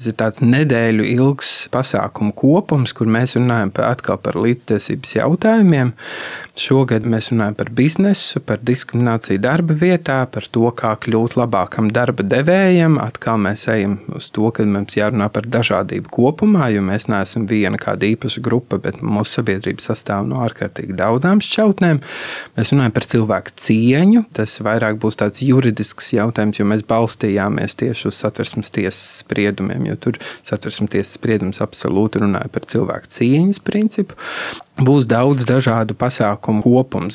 Tas ir tāds nedēļu ilgs pasākumu kopums, kur mēs runājam par līdztiesības jautājumiem. Šogad mēs runājam par biznesu, par diskrimināciju darba vietā, par to, kā kļūt labākam darba devējam. Atkal mēs ejam uz to, ka mums jārunā par dažādību kopumā, jo mēs neesam viena kāda īpaša grupa, bet mūsu sabiedrība sastāv no ārkārtīgi daudzām šķautnēm. Mēs runājam par cilvēku cieņu. Tas vairāk būs tāds juridisks jautājums, jo mēs balstījāmies tieši uz Satversmes tiesas spriedumiem, jo tur Satversmes tiesas spriedums absolūti runāja par cilvēku cieņas principu. Būs daudz dažādu pasākumu kopums.